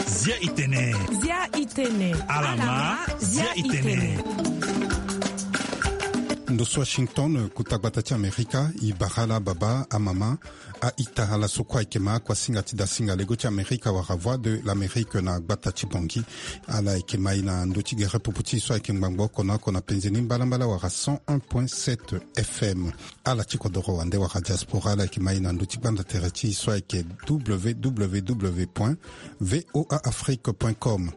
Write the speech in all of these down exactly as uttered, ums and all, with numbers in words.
Zia itene. Zia itene. Alama, zia itene. Ndo so Washington, kuta gbata ti Amerika, i bara ala ababa, amama, a-ita, ala so kue ayeke ma akuasinga ti dasinga lego ti Amerika wala Voix de l'Amérique na gbata ti Bangui. Ala yeke ma e na ndö ti gere popo ti e so ayeke ngbangbo oko na oko na penze ni mbalambala wala cent un point sept F M. Ala ti kodoro wande wala diaspora, ala yeke ma e na ndö ti gbanda tere ti e so ayeke W W W point V O A Afrique point com.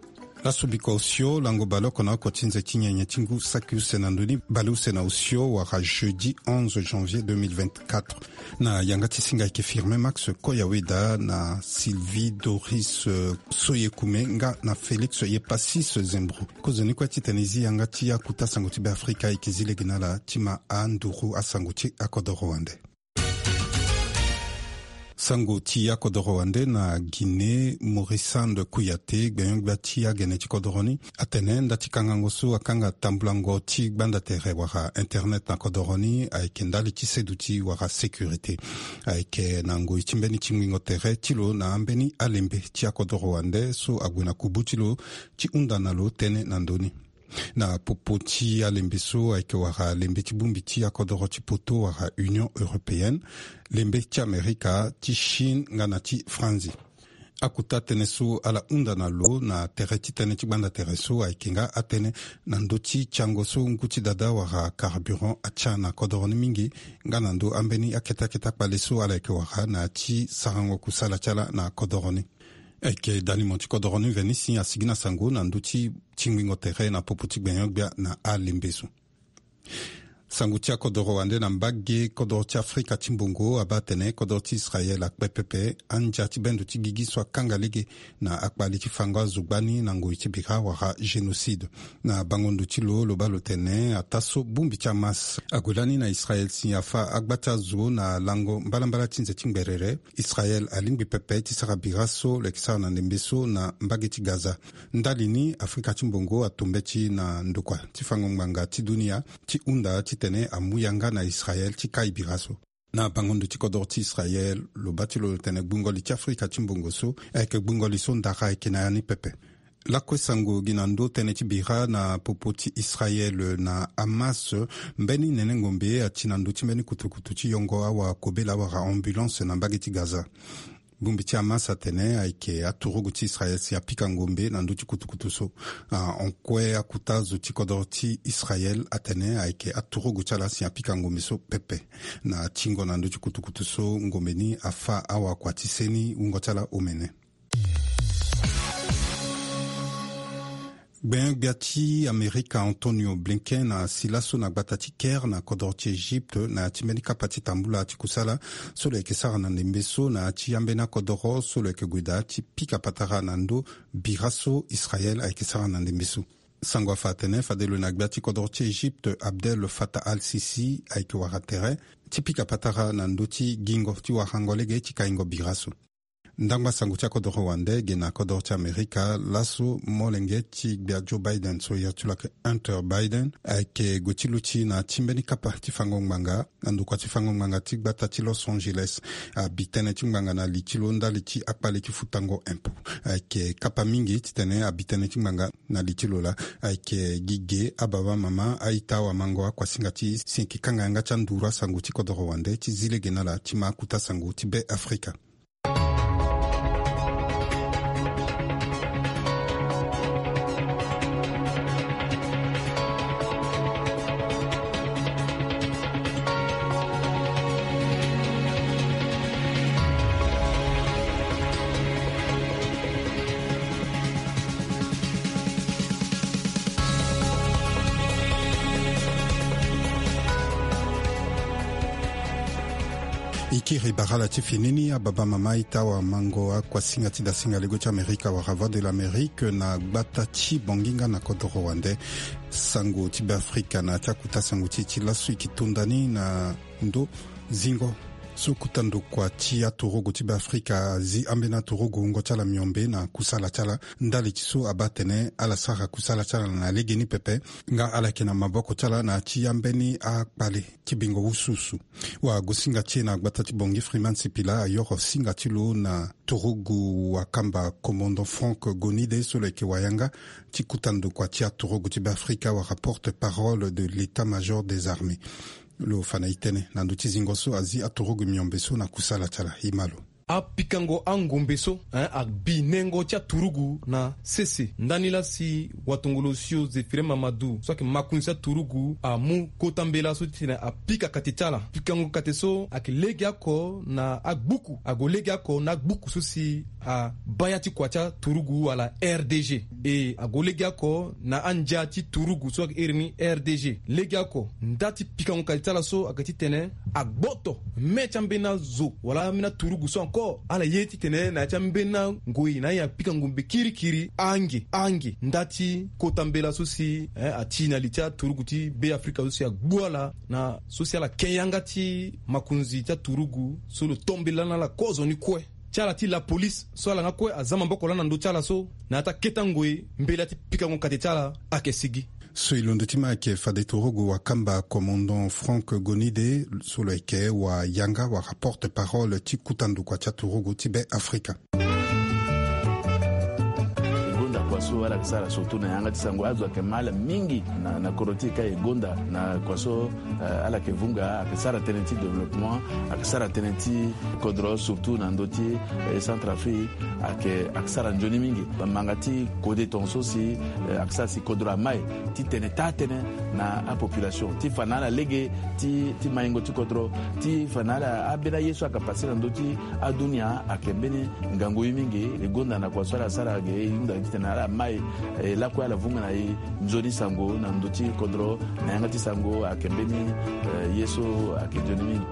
Laso bikua osio, lango baleoko na oko ti nze ti nyenye ti ngu saki use na ndö ni baleuse na osio wala jeudi onze janvier deux mille vingt-quatre. Na yanga ti singa ayeke Firmin Max Koyaweda na Sylvie Doris, euh, Soyekume nga na Félix Yepasis Zembro. Kozoni kue titene e zi yanga ti akuta sango ti Beafrika, e yeke zi lege na ala ti ma anduru asango ti akodoro wande. Sango ti akodoro wande na Guinée, Maurice Sand Kouyaté, gbenyo-gbia ti agene ti kodoro ni, atene nda ti kangango so akanga tambulango ti gbanda tere wala internet na kodoro ni ayeke ndali ti seduti wala sécurité. Ayeke na ngoi ti mbeni tingbingo tere ti lo na ambeni alembe ti akodoro wande so ague na kubu ti lo ti hunda na lo tënë na ndö ni. Na popo ti alembe so ayeke wara lembe ti bongbi ti akodoro ti poto wala Union Européenne, lembe ti Amerika, ti Chine nga na ti Franzi. Akuta tënë so ala hunda na lo na tere ti tënë ti gbanda tere so ayeke nga atënë na ndö ti tiango so ngu ti dada wala carburant atia na kodoro ni mingi, nga na ndö ambeni akete akete akpale so ala yeke wara na ya ti sarango kusala ti ala na kodoro ni. Ayeke dalimo ti kodoro ni Venisi asigi na sango na ndö ti tingbingo tere na popo ti gbenyo-gbia na alembe so. Sango ti akodoro wande na mbage kodoro ti Afrika ti mbongo abaa atene kodoro ti Israel akpe pepe andia ti bendo ti gigi so akanga lege na akpale ti fango azo gbani na ngoi ti bira wala génocide. Na bango ndo ti lo, lo baa lo tene ataa so bongbi ti Hamas ague lani na Israel si afa agba ti azo na lango mbalambala ti nze ti ngberere, Israel alingbi pepe ti sara bira so lo yeke sara na ndembe so na mbage ti Gaza. Ndali ni, Afrika ti mbongo ato mbeti na ndokua ti fango ngbanga ti dunia ti hunda titene amu yanga na Israel ti kai bira so. Na bango ndo ti kodoro ti Israel, lo baa ti lo lo tene gbungo li ti Afrika ti mbongo so ayeke gbungo li so ndara ayeke na ya ni pepe. Lakue sango gi na ndö tënë ti bira na popo ti Israel na Hamas, mbeni nene ngombe ati na ndö ti mbeni kutukutu ti yongo awa kobela wala ambulance na mbage ti Gaza. Bongbi ti Hamas atene ayeke aturugu ti Israel si apika ngombe na ndö ti kutukutu so. Ah, hon kue akuta zo ti kodoro ti Israel atene ayeke aturugu ti ala si apika ngombe so pepe. Na tingo na ndö ti kutukutu so, ngombe ni afa awakua ti seni wungo ti ala omene. Gbenyo-gbia ti Amerika Antonio Blinken asi laso na gbata ti Caire na kodoro ti Egypte na ya ti mbeni kapa ti tambula ti kusala so lo yeke sara na ndembe so na ya ti ambeni akodoro so lo yeke gue daa ti pika patara na ndö bira so Israel ayeke sara na ndembe so. Sango afa atene fade lo na gbia ti kodoro ti Egypte Abdel Fattah al-Sisi ayeke wara tere ti pika patara na ndö ti gingo ti warango lege ti kaingo bira so. Ndangba sango ti akodoro wande ge na kodoro ti Amerika laso, molenge ti gbia Joe Biden so iri ti lo ayeke Hunter Biden ayeke gue ti luti na ti mbeni kapa ti fango ngbanga na ndokua ti fango ngbanga ti gbata ti Los Angeles. Abi tënë ti ngbanga na li ti lo ndali ti akpale ti futango impôt. Ayeke kapa mingi titene abi tënë ti ngbanga na li ti lo laa. Ayeke gi ge ababa mama, a-ita, awamango, akuasinga ti e si e yeke kanga yanga ti anduru asango ti kodoro wande ti zi lege na ala ti ma akuta sango ti Be Afrika. E kiri bara ala ti fini ni, ababa mama, a-ita, awamango, akuasinga ti dasinga lego ti Amerika wala Voix de l'Amérique na gbata ti Bangui nga na kodoro wande. Sango ti Be Afrika na ya ti akuta sango ti e ti laso e yeke to nda ni na ndo zingo So kota ndokua ti aturugu ti Beafrika azi ambeni aturugu wungo ti ala miombe na kusala ti ala ndali ti so abaa atene ala sara kusala ti ala na legeni pepe. Nga ala yeke na maboko ti ala na ya ti ambeni akpale ti bingo wusuwusu. Wagosinga ti e na gbata ti Bangui, Freeman Sipila, ayoro singa ti lo na turugu wakamba commandant Franck Gonide, so lo yeke wayanga ti kota ndokua ti aturugu ti Beafrika wala porte-parole de l'état-major des armées. Lo fa na e tënë na ndö ti zingo so azi aturugu miombe so na kusala ti ala. E ma lo. Apikango angombe so, hein, abinengo ti aturugu na sese ndani laa si watongolo osio Zéphirin Mamadou so ayeke makonzi ti aturugu amu kota mbela so ti tene apika kate ti ala. Pikango kate so ayeke legeoko na agbuku, ague legeoko na agbuku so si abaa ya ti kua ti aturugu wala R D G. E ague legeoko na andia ti turugu so ayeke iri ni R D G. Legeoko nda ti pikango kate ti ala so ayeke titene agboto me ti ambeni azo wala ambeni aturugu so encore ala ye titene na ya ti ambeni angoi na aye apika ngombe kirikiri ange ange nda ti kota mbela so si, eh, ati na li ti aturugu ti Beafrika so si agbu ala na so si ala ke yanga ti makonzi ti aturugu so lo to mbela na ala kozoni kue. Ti ala ti lapolise so ala nga kue aza maboko laa na ndö ti ala so na ya ti akete ngoi mbela ti pikango kate ti ala ayeke sigi. So e londo ti ma ayeke fade turugu wakamba commandant Franck Gonide so lo yeke wayanga wala porte-parole ti kota ndokua ti aturugu ti Beafrika. E gonda kua so ala yeke sara surtout na yanga ti sango azo ayeke ma ala mingi na, na kodro ti e ka e gonda na kua so, eh, ala yeke vunga ayeke sara tënë ti développement, ayeke sara tënë ti kodro surtout na ndö ti, eh, Centrafrique. Ayeke, ayeke sara nzoni mingi. Bamanga ti kode tongaso si, eh, ayeke sara si kodro amai ti tene taa tënë na apopulation ti fa na ala lege ti, ti maingo ti kodro, ti fa na ala ambeni aye so ayeke pase na ndö ti adunia. Ayeke mbeni ngangu ye mingi. E gonda na kua so ala sara ge e hunda titene ala mai, eh, lakue ala vunga na e nzoni sango na ndö ti kodro na yanga ti sango ayeke mbeni, eh, ye so ayeke nzoni mingi.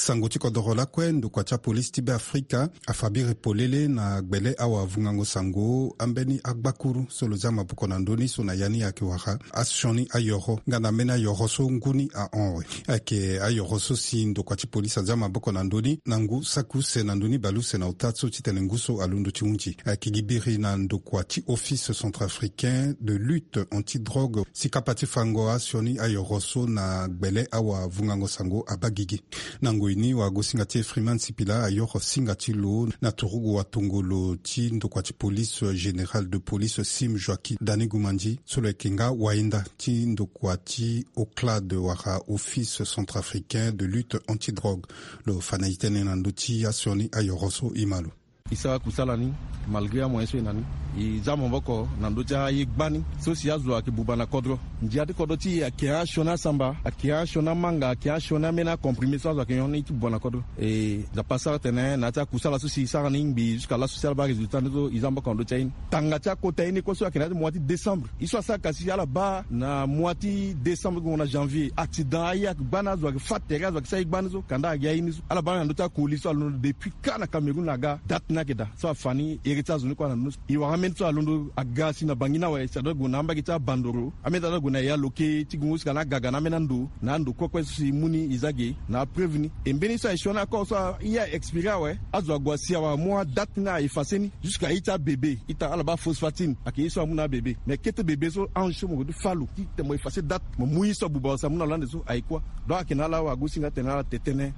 Sango ti kodoro lakue, ndokua ti apolisi ti Beafrika afa biri polele na gbele awavungango sango ambeni agbakuru so lo zia maboko na ndö ni so na ya ni ayeke wara asioni ayoro nga na ambeni ayoro so ngu ni ahon awe. Ayeke ayoro so si ndokua ti polisi azia maboko na ndö ni na ngu saki use na ndö ni bale use na ota so titene ngu so alondo ti hunzi. Ayeke gi biri na ndokua ti Office centrafricain de lutte anti-drogue si kapa ti fango asioni ayoro so na gbele awavungango sango abaa gigi. Na ngoi ni wagosinga ti e Freeman Sipila ayoro singa ti lo na turugu watongolo ti ndokua ti police, général de police Sim Joaquim Dani Gumandi so lo yeke nga wayenda ti ndokua ti OCLAD wala Office centrafricain de lutte anti-drogue. Lo fa na e tënë na ndö ti asioni ayoro so. E ma lo. E sara kusala ni malgré amoyen so e na ni. E za maboko na ndö ti aye gbani so si azo ayeke buba na kodro. Ndia ti kodro ti e ayeke asioni asamba, ayeke asioni amanga, ayeke asioni ambeni acomprimé so azo ayeke nyon ni ti buba na kodro. E Nzapa asara tene na ya ti akusala so si e sara ni ngbii jusqu'à laso si ala baa résultat ni so e za maboko na ndö ti aye ni. Tanga ti akota ye ni kue so ayeke na ya ti mois ti décembre, ye so asara kasi ala baa na mois ti décembre gongo na janvier, accident aye ayeke gbani, azo ayeke fa tere, azo ayeke sara ye gbani so kanda ayeke gi aye ni so ala baa ni na ndö ti akoli so alondo depuis kâ na Cameroun aga date ni ayeke daa. So afa ni ere ti azo ni kue ala na ndö ni so e wara ambeni so alondo aga si na Bangui ni awe, si adua gue na ambage ti abandoro, ambeni ti adua gue na ya lo ke ti gongo si ka na agaga na ambeni ando na ando kue kue so si e mu ni e za ge na apreuve ni. E mbeni so aye sioni akor so aye a expiré awe, azo ague asi awe amu adate ni a effacé ni jusqu'à ye ti abébé. Ita ala baa phosphatine ayeke ye so amu na abébé. Mais kete bébé so ange so mo gue ti fâ lo ti tene mo effacé date, mo mu ye so abuba lo si amu na lo ande so aye kuâ. Donc ayeke na ala wagosinga tene ala te tënë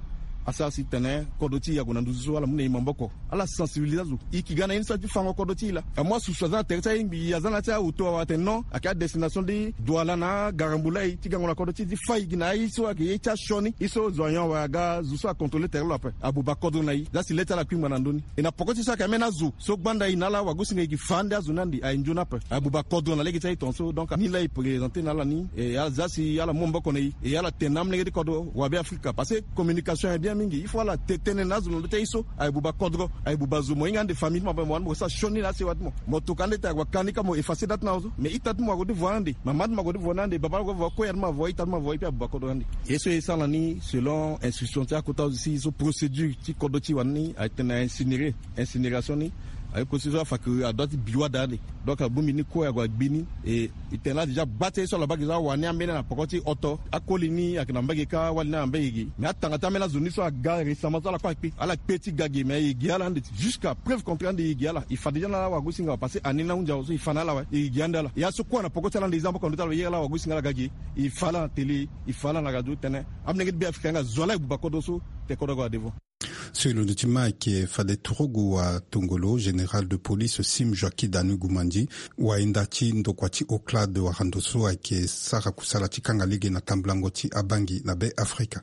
asara si tene kodro ti e ague na nduzu so ala mu na e maboko. Ala sensibilisé azo. E yeke ga na ye ni so aye ti fango kodro ti e laa. Amu asusu aza na tere ti aye ngbii, aza na ya ti aoto awe atene non, ayeke adestination ti Douala na Garambula e ti gango na kodro ti e ti fâ e gi na aye so ayeke ye ti asioni, ye so zo anyon awe aga zo so acontrôlé tere lo ape. Abuba kodro na e. Za si le ti ala akpingba na ndö ni. E na poko ti e so ayeke ambeni azo so gbanda e na ala wagosinga e yeke fa ande azo ni ande aye nzoni ape. Abuba kodro na lege ti aye tongaso. Donc ni laa e présenté na ala ni. E aza si ala mu maboko na e. E ala tene na amolenge ti kodro wa Beafrika parce que communication aye bien. Mingi il faut ala te tënë na azo na ndö ti aye so aye buba kodro, aye buba zo, mo hinga ande famille ti mo ape, mo wani mo sara sioni na asewa ti mo. Mo toka ande ti aye, ague akani ka mo effacer date na azo. Mais ita ti mo ague ti voie ande, mama ti mo ague ti voie na ande, baba ti mo ague ti voie, koya ti mo avoie, ita ti mo avoie, e puis abuba kodro na ande. Ye so e sara ni selon instruction ti akota azo si, so procédure ti kodro ti wani ni, aye tene a incinérer, incinération ni. Aye kosi so afa ke adoit ti bi wade ande. Donc abongbi ni kue ague agbi ni. E, e tene la déjà gba ti aye so ala baa ge so awa ni ambeni na poko ti oto. Akoli ni ayeke na mbage kâ, awali ni na mbage ge. Mais atanga ti ambeni azo ni so aga récemment so ala kue akpe. Ala kpe ti ga ge, mais e ge ala ande. Jusqu'à preuve contraire ande e ge ala. E fa déjà na ala wagosinga awe, parce que ani ni ahunzi awe so e fa na ala awe. E ge ande ala. Ya so kue na poko ti ala ande e za maboko na ndö ti ala, e iri ala wagosinga ala ga ge. E fa ala na télé, e fa ala na radio tene amolenge ti Beafrika nga azo ala e buba kodro so, te kodro ague na devant. So e londo ti ma ayeke fade turugu wa tongolo, général de police Sim Joaquim Danu Gumandi, wa hinda ti ndokua ti OCLAD wara ndo so ayeke sara kusala ti kanga lege na tambulango ti abangi na Be Afrika.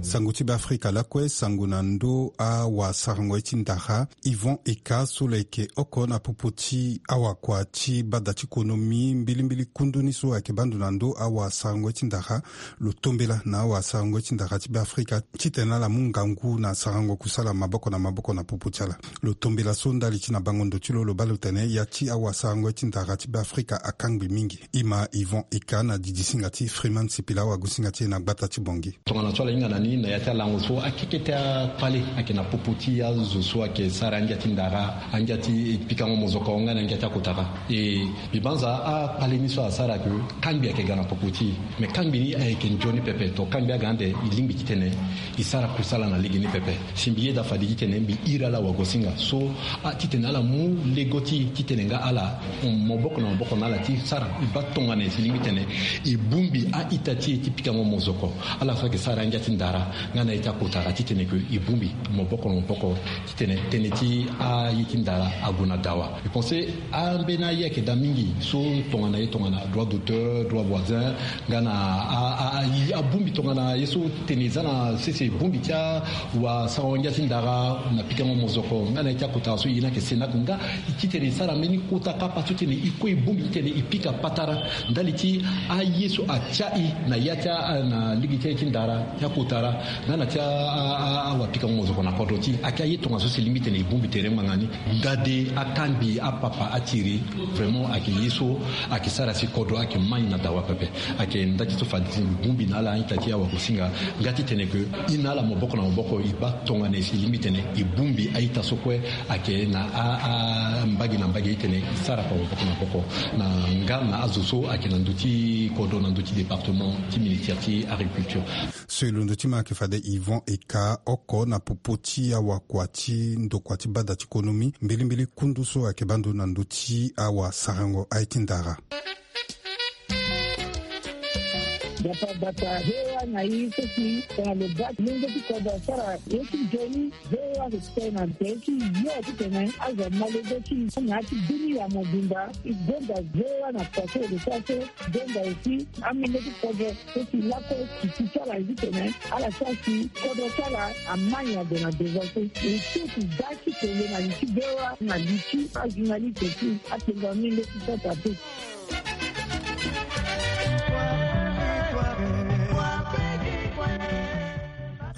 Sango ti Beafrika lakue, sango na ndö awasarango ye ti ndara, Yvon Eka so lo yeke oko na popo ti awakua ti bada ti konomi mbilimbili kundu ni so ayeke baa ndo na ndö awasarango ye ti ndara, lo tombela na awasarango ye ti ndara ti Beafrika titene ala mu ngangu na sarango kusala maboko na maboko na popo ti ala. Lo tombela so ndali ti na bango ndo ti lo, lo baa lo tene ya ti awasarango ye ti ndara ti Beafrika akangbi mingi. E ma Yvon Eka na didisinga ti Freeman Sipila, awagosinga ti e na gbata ti Bongi. Tongana so ala hinga na ni na ya ti alango so akeke ti akpale ayeke na popo ti azo so ayeke sara angia ti ndara, angia ti pikango mozoko nga na angia ti akotara. E, mbi banza akpale ni so asara ke kangbi ayeke ga na popo ti e. Me kangbi ni ayeke nzoni pepe, to kangbi aga ande e lingbi titene e sara kusala na legeni pepe. Si mbi yeda fade titene mbi iri ala wagosinga so, a, titene ala mu lego ti e titene nga ala, um, maboko na maboko na ala ti sara. E baa tongana e si lingbi titene e bongbi a-ita ti e ti pikango mozoko, ala so ayeke sara angia ti ndara nga na ye ti akotara, titene ke e bongbi maboko na maboko titene tënë ti aye ti ndara ague na dawa. E pense ambeni aye ayeke daa mingi so tongana ye tongana droit d'auteur, droit voisin, nga na a, a, a, abongbi tongana ye so tene e za na sese bongbi ti awasarango angia ti ndara na pikango mozoko nga na ye ti akotara so e ye ni ayeke CENAC nga titene e sara mbeni kota kapa so titene e kue e bongbi titene e pika patara ndali ti aye so atia e na ya ti a, na lege ti aye ti ndara ti akotara nga na ti a, a, a, awapikango mozoko na kodro ti e. Ayeke aye tongaso si e lingbi titene e bongbi tere ngbanga ni. Ndade akangbi apapa atiri, vraiment ayeke ye so ayeke sara si kodro ayeke mai na dawa pepe. Ayeke nda ti so fade ti e bongbi na ala a-ita ti e awagosinga nga titene ke e na ala maboko na maboko e baa tongana e si lingbi titene e bongbi a-ita so kue ayeke na a, a, mbage na mbage titene e sara kua maboko na maboko na nga na azo so ayeke na ndö ti kodro na ndö ti département ti ministère ti agriculture. So e londo ti ma ayeke fade Yvon Eka, oko na popo ti awakua ti ndokua ti bada ti konomi mbilimbili kundu so ayeke baa ndo na ndö ti awasarango aye ti ndara. Gbata gbata, V O A na e so si tongana lo baa ti lenge ti kodro asara ye ti nzoni, V O A ayeke kpe na tere ti yo titene azo ama lege ti e na ya ti dunia mobimba. E gonda V O A na kua so e lo sara so. Gonda aussi amolenge ti kodro so si lakue titi ti ala ye titene ala sara si kodro ti ala amai ade na devant so. E so si daa ti tene na li ti V O A na li ti ajournaliste ti apengo amolenge ti sasa te.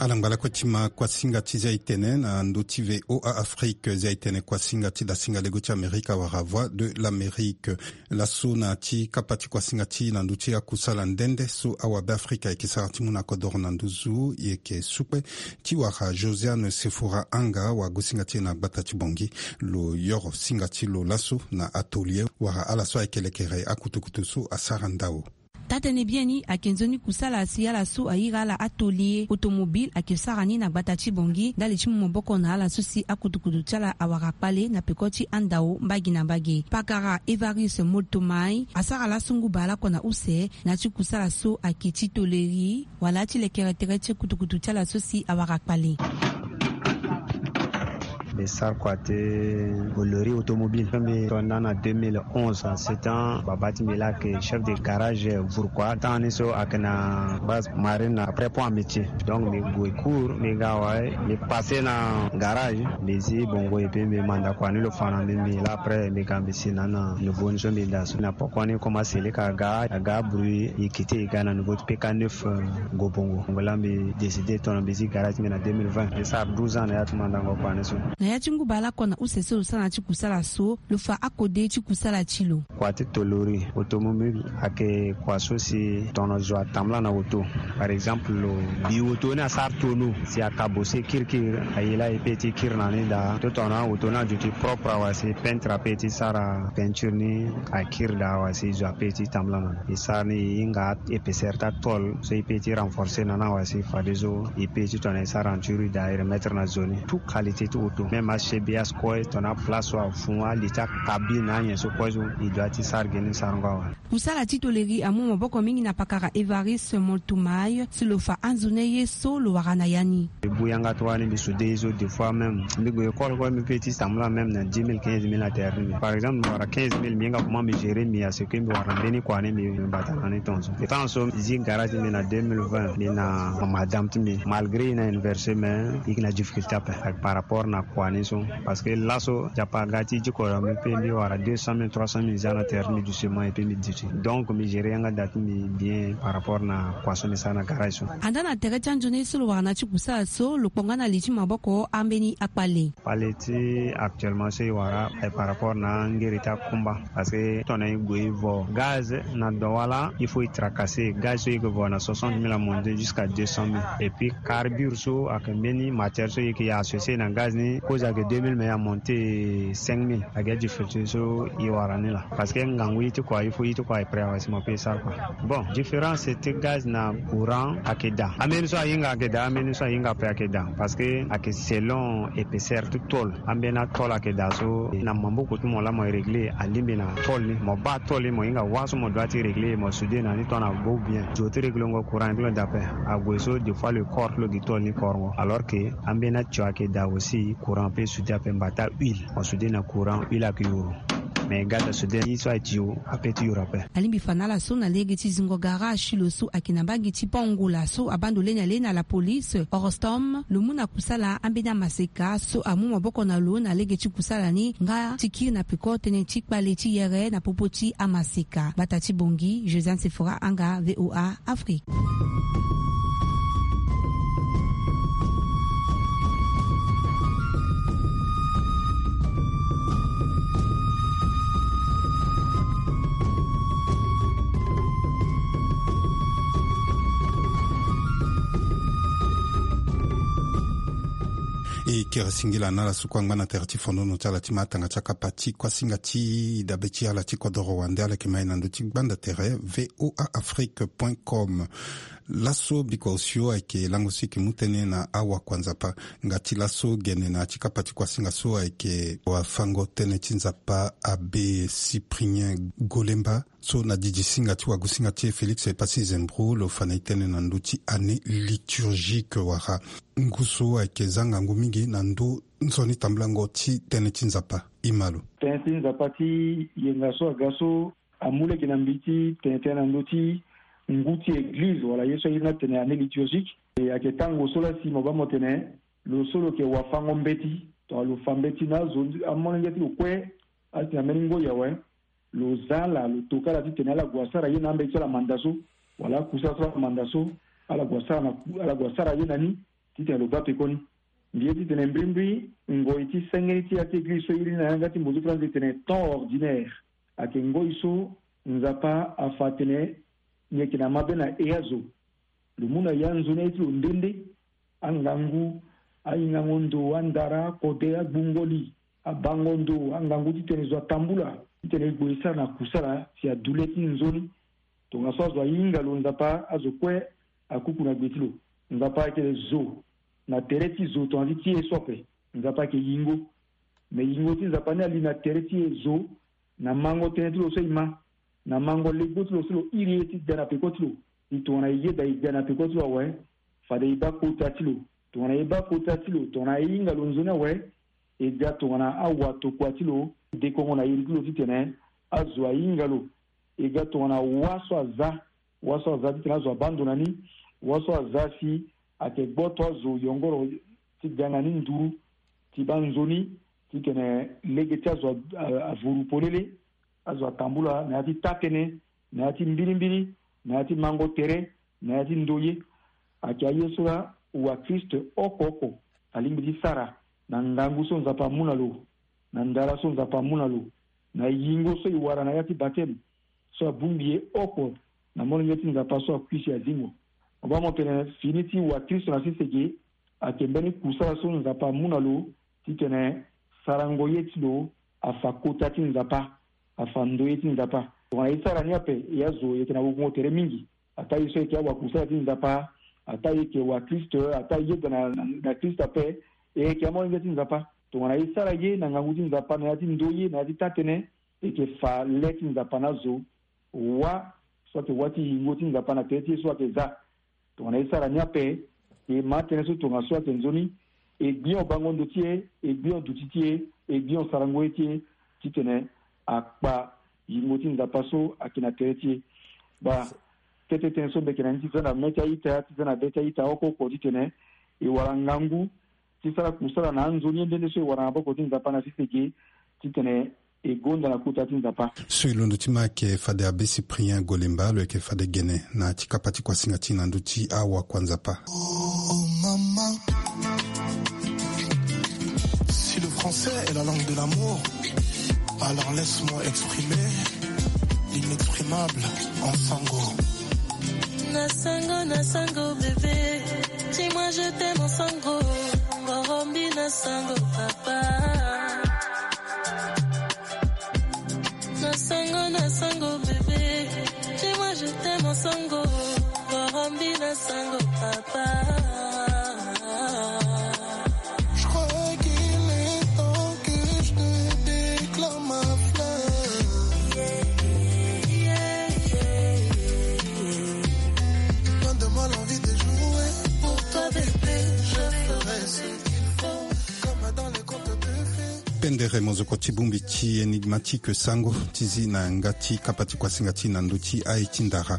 Ala ngba lakue ti ma kuasinga ti zia e tene na ndö ti V O A Afrique, zia e tene kuasinga ti dasinga lego ti Amerika wala Voix de l'Amérique. Laso na ya ti kapa ti kuasinga ti e na ndö ti akusala nde nde so awabeafrika ayeke sara ti mu na kodoro na nduzu, e yeke sukpe ti wara Josiane Sefora Anga, wagosinga ti e na gbata ti Bongi. Lo yoro singa ti lo laso na atelier wala ala so ayeke lekere akutukutu so asara ndao. Taa-tënë biani ayeke nzoni kusala si ala so airi ala atelier automobile ayeke sara ni na gbata ti Bongi ndali ti mu maboko na ala so si akutukutu ti ala awara kpale na peko ti andao mbage na mbage. Pakara Evariste Moltomai asara laso nguba lakue na use na ya ti kusala so ayeke ti toleri wala ti lekere tere ti kutukutu ti ala so si awara kpale. E sara kua ti Bolloré automobile so mbi tonda na deux mille onze. C'est temps baba ti mbi laa ayeke chef de garage Bourkois. Temps ni so ayeke na base marine après pont amitié. Donc mbi gue cours, mbi ga awe, mbi passé na garage, mbi zi bongo et puis mbi manda kua ni lo fa na mbi. Mbi laa après mbi ga mbi si na na nouveau ni so mbi daa so. Na poko ni comme aseleka aga aga bruit, e quitté, e ga na nouveau ti P K neuf, euh, go bongo. Bongo laa mbi décidé tongana mbi zi garage ti mbi na deux mille vingt. Mbi sara douze ans na ya ti mandango kua ni so. Na ya ti ngu baleoko na use so lo sara na ya ti kusala so, lo fa akode ti kusala ti lo. Kua ti tôlerie automobile ayeke kua so si tongana zo atambula na auto. Par exemple, lo bi auto ni asara tonneau, si akabose kirikiri, aye laa e peut ti kiri na ni daa. To tongana auto ni aduti propre awe si peintre apeut ti sara peinture ni, akiri daa awe si zo apeut ti tambula na ni. E sara ni e hinga épaisseur ti atôle so e peut ti renforcer na ni awe si fadeso e peut ti tongana e sara denture daa e remettre na zo ni. Tout qualité ti auto, même achebillage kue, tongana place so afu, ali ti acabine, anyen so kue so e doit ti sara gi ni sarango awe. Kusala ti tôlerie amu maboko mingi na pakara Évariste Moltumay si lo fa anzoni ye so lo wara na ya ni. Mbi bu yanga ti wani mbi soude ye so, des fois même mbi gue école kue mbi peut ti tambula même na dix mille, quinze mille na tere ti mbi. Par exemple mbi wara quinze mille, mbi hinga comment mbi gérer mbi à ce que mbi wara na mbeni kua ni mbi, mbi bata na ni tongaso. Temps so mbi zi garage ti mbi na deux mille vingt, mbi na madame ti mbi, malgré e na université mais e yeke na difficulté ape par rapport na kua ni so. Parce que laso Nzapa aga ti diko na mbi, pe mbi wara deux cent mille, trois cent mille za na tere ti mbi doucement, et puis mbi duti. Donc mbi gérer yanga da ti mbi bien par rapport na kua so mbi sara na garage so. Andaa na tere ti anzoni so lo wara na ya ti kusala so, lo kpo nga na li ti maboko ambeni akpale. Kpale ti actuellement so e wara aye par rapport na angere ti akumba. Parce que tongana e gue e vo gaz na Douala, il faut e tracasser. Gaz so e yeke vo na soixante mille amonte jusqu'à deux cent mille. Et puis carbure so ayeke mbeni matière so e yeke associer na gaz ni, kozo ayeke deux mille mais e amonte cinq mille. Ayeke difficulté so e wara ni laa. Parce que ngangu ye ti kua, il faut ye ti kua e prêt awe si mo peut e sara kua. Bon, différence ti gaz na courant ayeke daa. Ambeni so ahinga ayeke daa, ambeni so ahinga ape ayeke daa. Parce que ayeke selon épaisseur ti tôle. Ambeni atôle ayeke daa so na maboko ti mo laa mo régler, alingbi na tôle ni. Mo baa tôle ni, mo hinga wâ so mo doit ti régler, mo soude na ni tongana ague ou bien. Zo ti réglengo courant ni ti lo daa ape. Ague so des fois le corps ti lo gi tôle ni korongo. Alors que ambeni atio ayeke daa aussi, courant peut soude ape. Mbata huile, mo soude na courant, huile ayeke yuru. Mais gaz asoude ye so aye tio ape ti yuru ape. Alingbi fa na ala so na lege ti zingo garage ti lo so ayeke na mbage ti Pont Angola so abaa ndo leni ale na la police Orostom, lo mu na kusala ambeni amaseka so amu maboko na lo na lege ti kusala ni nga ti kiri na peko tënë ti kpale ti yere na popo ti amaseka. Bata ti Bongi, Josiane Sephora Anga, V O A Afrique. E kere singila na ala so kue angba na tere ti fondono ti ala ti ma tanga ti akapa ti kuasinga ti dabe ti ala ti kodoro wande. Ala yeke ma e na ndö ti gbanda tere V O A Afrique point com. Laso bikua osio ayeke lango so e yeke mu tënë na awakua Nzapa. Nga ti laso gene na ya ti kapa ti kuasinga so ayeke wafango tënë ti Nzapa Abbé Cyprien Golemba, so na didi singa ti wagusinga ti e Félix Epassi Zembro lo fa na e tënë na ndö ti année liturgique wala ngu so ayeke za ngangu mingi na ndö nzoni tambulango ti tënë ti Nzapa. E ma lo. Tënë ti Nzapa ti yenga so aga so amu lege na mbi ti tene tënë na ndö ti ngu ti eglize wala ye so airi ni atene année liturgique. E ayeke tango so laa si mo baa mo tene lo so lo yeke wafango mbeti, tongana lo fa mbeti na azo amolenge ti lo kue, atene na mbeni ngoi awe, lo za ala, lo toka ala titene ala gue asara ye na ambeti so ala manda so, wala akusala so ala manda so, ala gue asara na, ala gue asara ye na ni titene lo baa pekoni. Mbi ye titene mbrimbri ngoi ti senge ni ti ya ti eglize so e iri ni na yanga ti mbozo ti faranzi e tene temps ordinaire. Ayeke ngoi so Nzapa afa atene ni yeke na mabe na e azo. Lo mu na e anzoni aye ti lo nde nde, angangu, ahingango ndo, andara, akode, agbungo li, abango ndo, angangu titene zo atambula, titene e gue e sara na kusala si adu le ti nzoni. Tongaso azo ahinga lo, Nzapa azo kue akuku na gbe ti lo. Nzapa ayeke zo na tere ti zo tongana ti ti e so ape. Nzapa ayeke yingo. Me yingo ti Nzapa ni ali na tere ti e zo, na mango tënë ti lo so e ma, na mango legbo ti lo so lo iri ye ti da na peko ti lo. E tongana e yeda e da na peko ti lo awe, fade e baa kota ti lo. Tongana e baa kota ti lo, tongana e hinga lo nzoni awe, E ga tongana awa tokua ti lo, dekongo na iri ti lo titene azo ahinga lo. E ga tongana wâ so aza, wâ so aza titene azo abaa ndo na ni, wâ so aza si ayeke gboto azo yongoro ti ga na ni nduru ti baa nzoni titene lege ti azo a- a- avuru polele. Azo atambula na ya ti taa-tënë, na ya ti mbilimbili, na ya ti mango tere, na ya ti ndoye. Ayeke aye so laa wakristo oko oko alingbi ti sara na ngangu so Nzapa amu na lo, na ndara so Nzapa amu na lo, na yingo so e wara na ya ti bateme so abongbi e oko na molenge ti Nzapa so akui si azingo. Mo baa mo tene fini ti wakristo na sese ge ayeke mbeni kusala so Nzapa amu na lo titene sarango ye ti lo afa kota ti Nzapa, afa ndoye ti Nzapa. Tongana e sara ni ape, e azo e yeke na wukongo tere mingi. Ataa e so e yeke awakusala ti Nzapa, ataa e yeke wakristo, ataa e yeda na, na, na Krist ape, e yeke amolenge ti Nzapa. Tongana e sara ye na ngangu ti Nzapa na ya ti ndoye, na ya ti taa-tënë, e yeke fa le ti Nzapa na azo. Wâ so ayeke wâ ti yingo ti Nzapa na tere ti ye so ayeke za. Tongana e sara ni ape, e ma tënë so tongaso ayeke nzoni, e gbio bango ndo ti e, e gbio duti ti e, e gbio sarango ye ti e, titene akpa yingo ti Nzapa so ayeke na tere ti e. Baa, kete tënë so mbi yeke na ni ti za na mê ti a-ita, ti za na be ti a-ita oko oko titene e wara ngangu ti sara kusala na anzoni ye nde nde so e wara na maboko ti Nzapa na sese ge, titene e gonda na kota ti Nzapa. So e londo ti ma ayeke fade Abbé Cyprien Golemba, lo yeke fade gene na ya ti kapa ti kuasinga ti na ndö ti awakua Nzapa. Oh maman, si le français est la langue de l'amour, alors laisse-moi exprimer l'inexprimable en sango. Na sango, na sango, bébé. Dis-moi, je t'aime en sango. Ngorombi na sango, papa. Na sango, na sango, bébé. Dis-moi, je t'aime en sango. Ngorombi na sango, papa. Je crois qu'il est temps que je te déclare ma fleur. Donne-moi l'envie de jouer. Pour toi, bébé, je ferai ce qu'il faut. Comme dans les contes de fées. Pendere mozoko ti bongbi ti Énigmatique Sango ti zi na yanga ti kapa ti kuasinga ti na ndö ti aye ti ndara.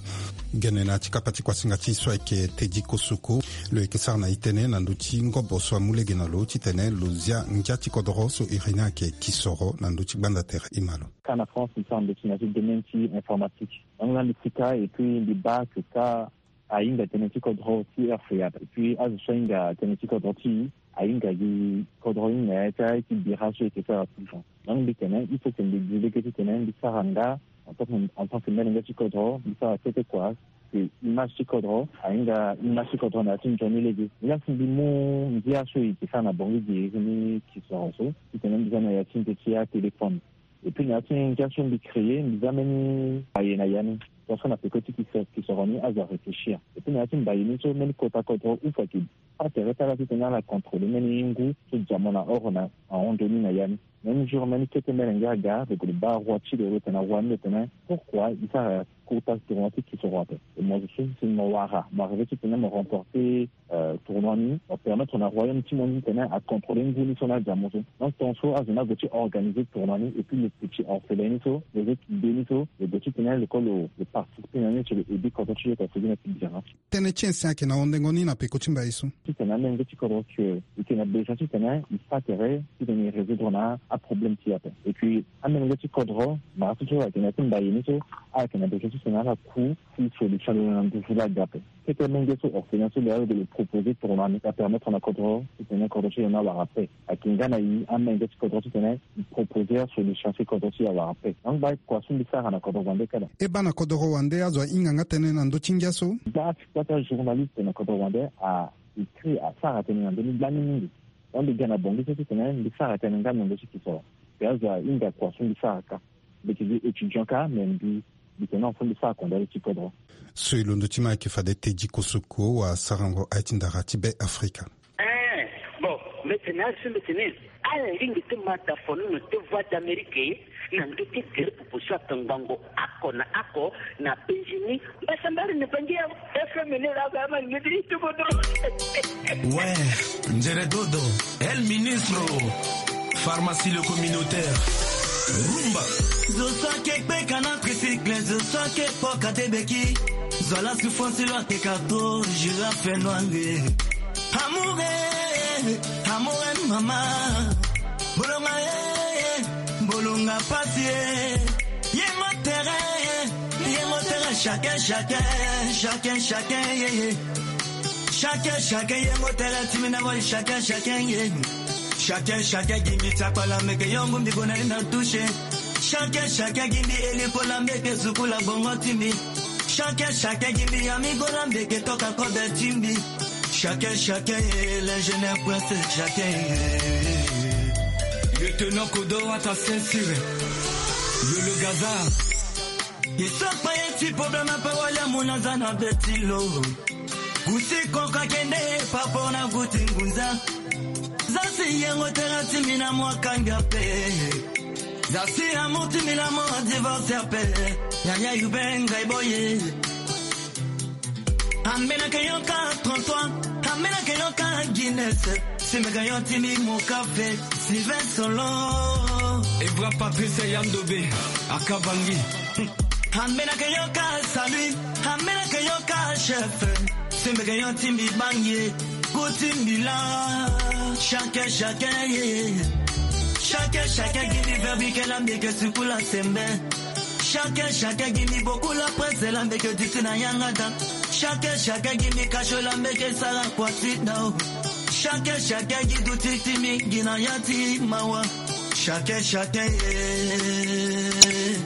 Gene na ya ti kapa ti kuasinga ti so ayeke Teddy Kosoko. Lo yeke sara na e tënë na ndö ti ngobo so amu lege na lo titene lo zia ngia ti kodoro so iri ni ayeke kisoro na ndö ti gbanda tere. E ma lo. Ka na France, mbi sara ndö ti na ya ti domaine ti informatique. Donc la mbi sika et puis mbi baa que ka ahinga tënë ti kodro ti R F A. Et puis azo so ahinga tënë ti kodro ti e ahinga gi kodro ni na ya ti aye ti bira so e yeke sara tout le temps. Donc mbi tene il faut que mbi gi lege titene mbi sara nga en tant que, en tant que molenge ti kodro, mbi sara kete kua, que image ti kodro ahinga image ti kodro na ya ti nzoni lege. Ngia si mbi mu ngia so e yeke sara na bongi gi iri ni kisoro so titene mbi za na ya ti nze ti atéléphone. Et puis na ya ti ngia so mbi créer, mbi za mbeni mbaye na ya ni. Tongaso na peko ti kis-, kisoro ni azo aréfléchir. Et puis na ya ti mbaye ni so mbeni kota kodro ou fo ayeke baa tere ti ala titene ala contrôler mbeni ngu so dia mo na oro na ahon nzoni na ya ni. Même jour mbeni kete molenge aga, lo gue lo baa roi ti lo, lo tene na roi ni, lo tene pourquoi e sara kota tournoi ti kisoro ape. E mo zo so si mo wara, mo arriver titene mo remporter euh, tournoi ni, mo permettre na royaume ti mo ni titene acontrôler ngu ni so na adia mo so. Donc tongaso azo ni ague ti organiser tournoi ni et puis lo petit orphelin ni so, lo zo ti be ni so, lo gue titene lo ko lo, lo participer na ni ti lo aider kodro ti lo ka fodi na ti bira. Tënë ti ensin ayeke na hondengo ni na peko ti mbaye so. Titene amolenge ti kodro ti e, e yeke na besoin titene e fa tere titene e résoudre na aproblème ti e ape. Et puis amolenge ti kodro, mara so so ayeke na ya ti mbaye ni so, ayeke na besoin titene ala ku ti solution na nduzu la ga ape. Kete menge so orphelin so lo ya lo proposer tournoi ni, apermettre na kodro titene kodro ti lo ni awara paix. Ayeke nga na e amenge ti kodro titene e proposer solution si kodro ti e awara paix. Donc baa kua so mbi sara na kodro wande kala. E baa na kodro wande azo ahinga nga tënë na ndö ti ngia so. Baa ti kua ti ajournaliste na kodro wande a écrit, asara tënë na ndö ni lani mingi. Donc mbi ga na bongi so titene mbi sara tënë nga na ndö ti kisoro. Mbi azo ahinga kua so mbi sara ka. Mbi yeke gi étudiant ka, mais mbi, mbi tene na fo mbi sara kondani ti kodro. So e londo ti ma ayeke fade Teddy Kosoko, wasarango aye ti ndara ti Be Afrika. Eh, bon, mbi tene azo mbi tene ala lingbi ti ma da fo nono ti Voix d'Amérique na ndö ti gere popo so atongbango oko na oko na Benjini. Mbasambari ni bangi ya F M ni la ga ma ngedi ti kodro. Ouais, Nzere Dodo, El Ministro. Pharmacie le communautaire. Rumba. Zo so ake kpeka na tricycle, zo so ake kpoka te beki. Zo ala souffrance lo ake kato, girafe noire. Amour, eh, amour, eh, mama. Bolonga, eh, bolonga pasi, eh. Yengo tere, eh, yengo tere, chacun, chacun, chacun, chacun, yeah, yeah. Chacun, chacun, yengo tere, timina boy, chacun, chacun, yeah. Chacun, chacun, gimbi tiakpala, meke yongo mbi gona ina touche. Chacun, chacun, gimbi eli kola, meke sukula bongo timbi. Chacun, chacun, gimbi ami gola, meke toka kobe timbi. Chacun, chacun, eh, l'ingénieur prince, chacun, eh. Lieutenant Kodo, à ta ceinture. Le, le gazard. Isokpa ye ti problème pe wali amona za na beti lo. Gusi konka kende pa pona guti ngunza. Za si yengo tera timi na mwa kanga pe. Za si amour timi na mwa divorce pe. Yaya yubenga iboye. Ambena ke yoka trente-trois, ambena ke yoka Guinness. Simeka yo timi mokafe, Sylvain Solo. Evra Patrice Yandobe, Akabangi. Ambena ke yoka Salut, ambena ke yoka chef. Simeka yo timi bangi, kutimbila. Chacun, chacun, yeah. Chacun, chacun, give me verbi ke la mbeke sukula sembe. Chacun, chacun, give me beaucoup la presse, la mbeke diti na yangada. Chacun, chacun, give me cash, la mbeke sara kwati dao. Chacun, chacun, give du titi mi, gina yati mawa. Chacun, chacun, yeah.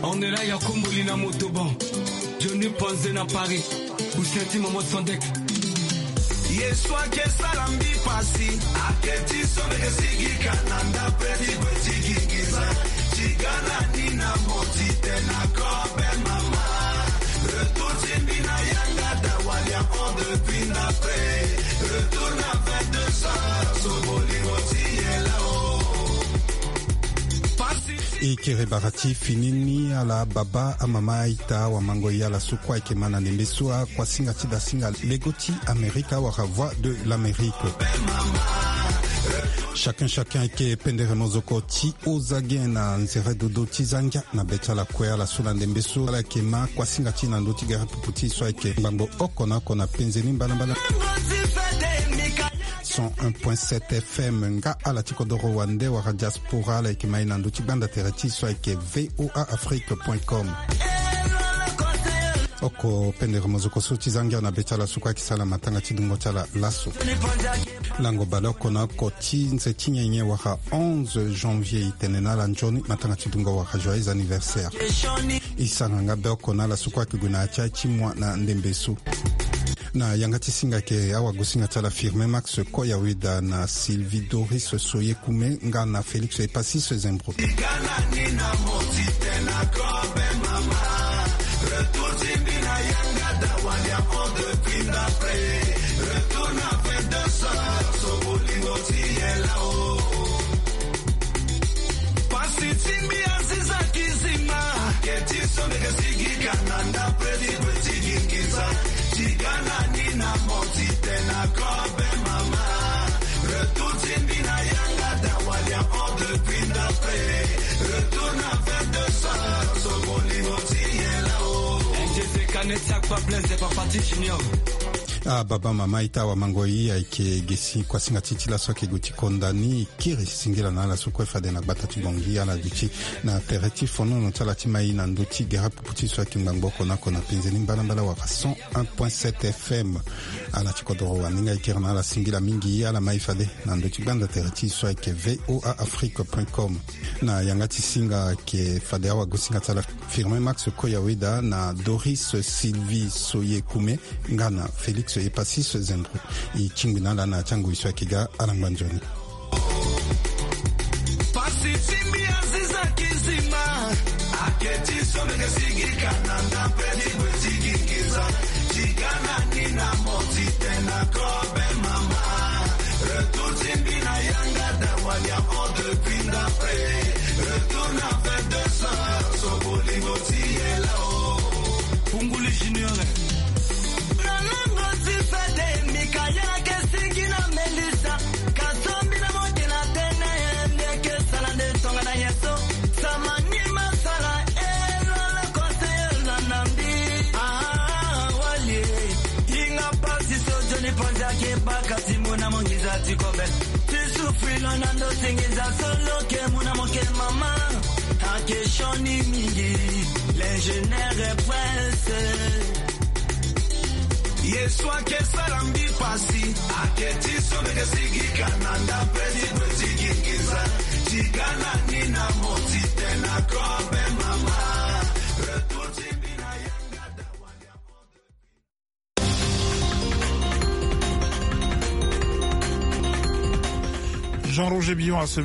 On est là, ya Kombo lina motoban. Johnny Panze na Paris. Usenti momo sondek. Yesu ake sala mbi pasi. Ake ti so meke sigi kana nda pe ti kue ti gingiza. Ti gana ni na moti te na kobe mama. Retour ti mbi na yanga da walia on depuis nda pe. Retour na vingt-deux heures. So bolingo ti yela o. Pasi. E kere bara ti fini ni ala baba amama aita awamango e ala so kue ayeke ma na ndembe so akuasinga ti dasinga lego ti Amerika wala Voix de l'Amérique. Chacun, chacun ayeke pendere mozoko ti oza ge na nzere dodo ti za ngia na be ti ala kue ala so na ndembe so ala yeke ma kuasinga ti na ndö ti gere pupu ti e so ayeke ngbangbo oko na oko na penze ni mbalambala. Cent un point sept F M nga ala ti kodoro wande wala diaspora ala yeke ma e na ndö ti gbanda tere ti e so ayeke V O A Afrique point com. Oko pendere mozoko so ti za ngia na be ti ala so kue ayeke sara matanga ti dungo ti ala laso. Lango baleoko na oko ti nze ti nyenye wala onze janvier, e tene na ala nzoni matanga ti dungo wala joyeux anniversaire. E sara nga be oko na ala so kue ayeke gue na ya ti aye ti moi na ndembe so. Na yanga ti singa ayeke awagosinga ti ala Firmin Max Koyaweda na Sylvie Doris Soyekume nga na Félix Epasis Zembro. Pasi ti mbi aziza kizima. Ke ti so mbi ke sigi kana nda pe ti kue ti gingiza. Ti gana ni na moti te na kobe mama. Retour ti mbi na yanga da walia on depuis nda pe. Retour na vingt-deux heures. So bolingo ti yela o. N J C Kane ti akpa Blaise de Papa ti Junior. Ah, baba mama ita awamango e ayeke ge si kuasinga ti e ti laso ayeke gue ti konda ni. Kiri singila na ala so kue fade na gbata ti Bangui ala duti na tere ti fonono ti ala ti ma e na ndö ti gere pupu ti e so ayeke ngbangbo oko na oko na penze ni mbalambala wala cent un point sept F M. Ala ti kodoro wande nga e kiri na ala singila mingi ala ma e fade na ndö ti gbanda tere ti e so ayeke V O A Afrique point com. Na yanga ti singa ayeke fade awagosinga ti ala Firmin Max Koyaweda na Doris Sylvie Soyekume nga na Félix Epasis Zembro. E tingbi na ala na ya ti angoi so ayeke ga ala ngba nzoni. Pasi ti mbi aziza kizima. Ake ti so mbi ke sigi kana nda pe ti kue ti gingiza. Ti gana ni na moti te na kobe mama. Retour ti mbi na yanga da walia on depuis nda pe. Retour na vingt-deux heures. So bolingo ti yela o. Punguli Junior. Na lango ti fede mbi ka yala ke singi na Melissa. Ka sombi na moke na tene mbi ke sala Filo na ndo tengenza solo ke muna moke mama. Ake shoni mingi. L'ingénieur est pressé. Yesu ake sara mbi pasi. Ake ti so meke sigi kananda pesi kweti gingiza. Tigana ni na moti tena kobe mama. Retour ti mbi na yanga da wanya. Jean-Roger Billon à ce micro.